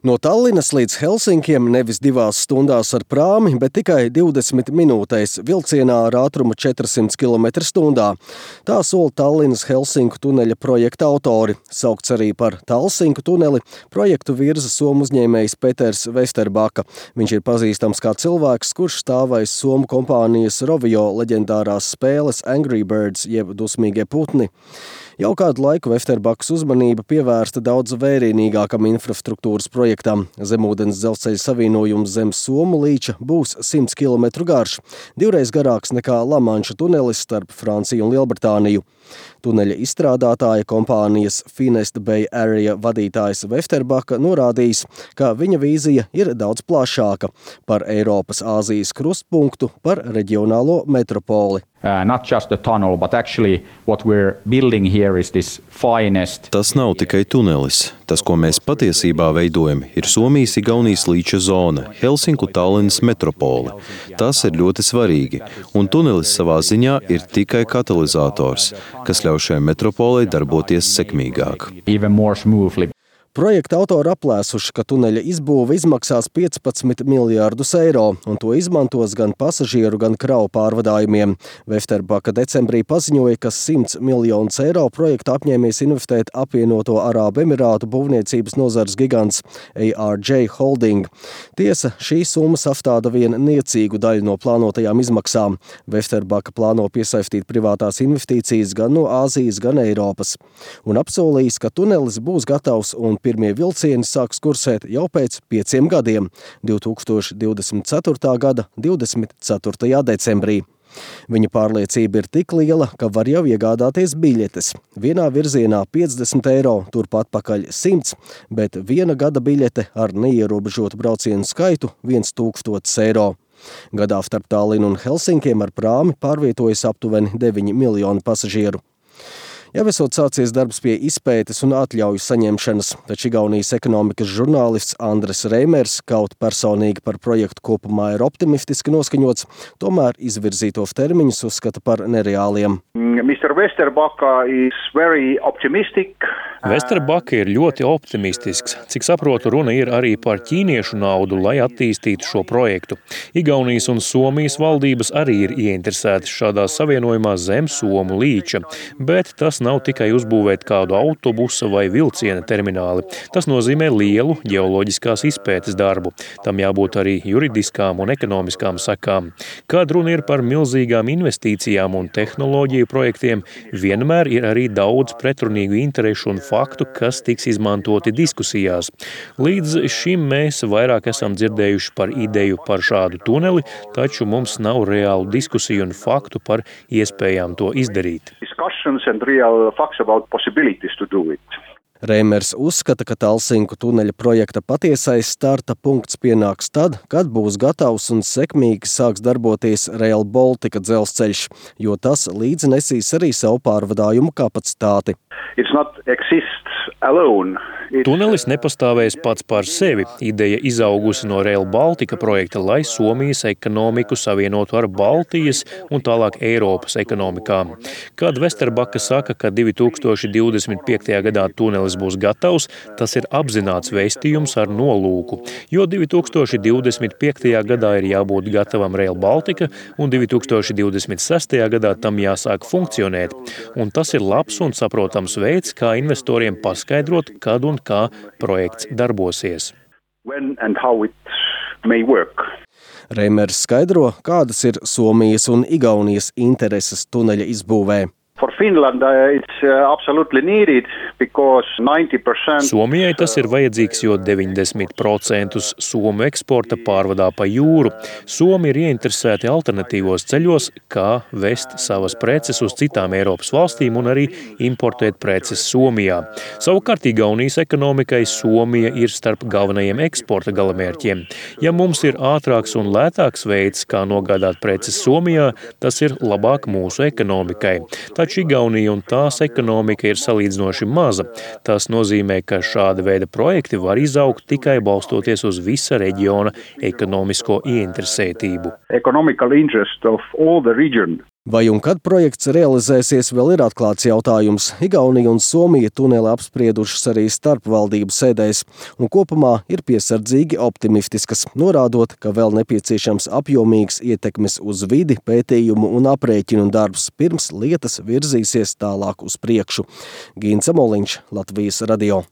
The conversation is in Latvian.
No Tallinas līdz Helsinkiem nevis 2 stundās ar prāmi, bet tikai 20 minūtēs vilcienā ar ātrumu 400 km/h. Tā sola Tallinas Helsinku tuneļa projekta autori. Saukts arī par Talsinku tuneli, projektu virza somu uzņēmējs Peters Vesterbaka. Viņš ir pazīstams kā cilvēks, kurš stāvais somu kompānijas Rovio leģendārās spēles Angry Birds jeb dusmīgie putni. Jau kādu laiku Vesterbakas uzmanība pievērsta daudz vērienīgākam infrastruktūras projektam. Zemūdens dzelzceļa savienojums zem Somu līča būs 100 km garš, 2 garāks nekā Lamanša tunelis starp Franciju un Lielbritāniju. Tuneļa izstrādātāja kompānijas Finest Bay Area vadītājs Vesterbaka norādījis, ka viņa vīzija ir daudz plašāka par Eiropas Āzijas krustpunktu, par reģionālo metropoli. Not just the tunnel, but actually what we're building here is this finest. Tas nav tikai tunelis. Tas, ko mēs patiesībā veidojam, ir Somijas-Igaunijas līča zona, Helsinku-Tallinas metropole. Tas ir ļoti svarīgi, un tunelis savā ziņā ir tikai katalizators, kas ļauj šai metropolei darboties sekmīgāk. Even more smoothly. Projekta autori aplēsuši, ka tuneļa izbūve izmaksās 15 miljārdus eiro, un to izmantos gan pasažieru, gan kravu pārvadājumiem. Vesterbaka decembrī paziņoja, ka 100 miljonus eiro projekta apņēmies investēt apvienoto Arābu Emirātu būvniecības nozares gigants ARJ Holding. Tiesa, šī summa sastāda vien niecīgu daļu no plānotajām izmaksām. Vesterbaka plāno piesaistīt privātās investīcijas gan no Āzijas, gan Eiropas. Un apsolījis, ka tunelis būs gatavs un pirmie vilcieni sāks kursēt jau pēc 5 gadiem, 2024. gada 24. decembrī. Viņa pārliecība ir tik liela, ka var jau iegādāties biļetes. Vienā virzienā 50 eiro, turpat pakaļ 100, bet 1 gada biļete ar neierobežotu braucienu skaitu 1000 eiro. Gadā starp Tallinu un Helsinkiem ar prāmi pārvietojas aptuveni 9 miljoni pasažieru. Jau esot sācies darbs pie izpētes un atļauju saņemšanas, taču Igaunijas ekonomikas žurnālists Andris Reimers kaut personīgi par projektu kopumā ir optimistiski noskaņots, tomēr izvirzītos termiņus uzskata par nereāliem. Mr. Vesterbaka is very optimistic. Vesterbaka ir ļoti optimistisks. Cik saprotu, runa ir arī par ķīniešu naudu, lai attīstītu šo projektu. Igaunijas un Somijas valdības arī ir ieinteresētas šādā savienojumā zem Somu līča, bet tas nav tikai uzbūvēt kādu autobusa vai vilciena termināli. Tas nozīmē lielu ģeoloģiskās izpētes darbu. Tam jābūt arī juridiskām un ekonomiskām sekām. Kad runa ir par milzīgām investīcijām un tehnoloģiju projektiem, vienmēr ir arī daudz pretrunīgu interešu un faktu, kas tiks izmantoti diskusijās. Līdz šim mēs vairāk esam dzirdējuši par ideju par šādu tuneli, taču mums nav reālu diskusiju un faktu par iespējām to izdarīt. Reimers uzskata, ka Talsinku tuneļa projekta patiesais starta punkts pienāks tad, kad būs gatavs un sekmīgi sāks darboties Rail Baltica dzelzceļš, jo tas līdzi nesīs arī savu pārvadājumu kapacitāti. Tunelis nepastāvēs pats par sevi. Ideja izaugusi no Rail Baltica projekta, lai Somijas ekonomiku savienotu ar Baltijas un tālāk Eiropas ekonomikām. Kad Vesterbaka saka, ka 2025. gadā tunelis būs gatavs, tas ir apzināts vēstījums ar nolūku, jo 2025. gadā ir jābūt gatavam Rail Baltica un 2026. gadā tam jāsāk funkcionēt. Un tas ir labs un saprotams veids, kā investoriem paskaidrot, kad un kā projekts darbosies. Reimers skaidro, kādas ir Somijas un Igaunijas intereses tuneļa izbūvē. For Finland, it's absolutely needed because 90%. Somijai tas ir vajadzīgs, jo 90% somu eksporta pārvadā pa jūru. Somi ir ieinteresēti alternatīvos ceļos, kā vest savas preces uz citām Eiropas valstīm un arī importēt preces Somijā. Savukārt Igaunijas ekonomikai Somija ir starp galvenajiem eksporta galamērķiem. Ja mums ir ātrāks un lētāks veids, kā nogādāt preces Somijā, tas ir labāk mūsu ekonomikai. Taču Igaunija un tās ekonomika ir salīdzinoši maza. Tas nozīmē, ka šāda veida projekti var izaugt tikai balstoties uz visa reģiona ekonomisko ieinteresētību. Vai un kad projekts realizēsies, vēl ir atklāts jautājums. Igaunija un Somija tuneli apspriedušas arī starpvaldību sēdēs, un kopumā ir piesardzīgi optimistiskas, norādot, ka vēl nepieciešams apjomīgs ietekmes uz vidi, pētījumu un aprēķinu darbs, pirms lietas virzīsies tālāk uz priekšu. Gints Amoliņš, Latvijas radio.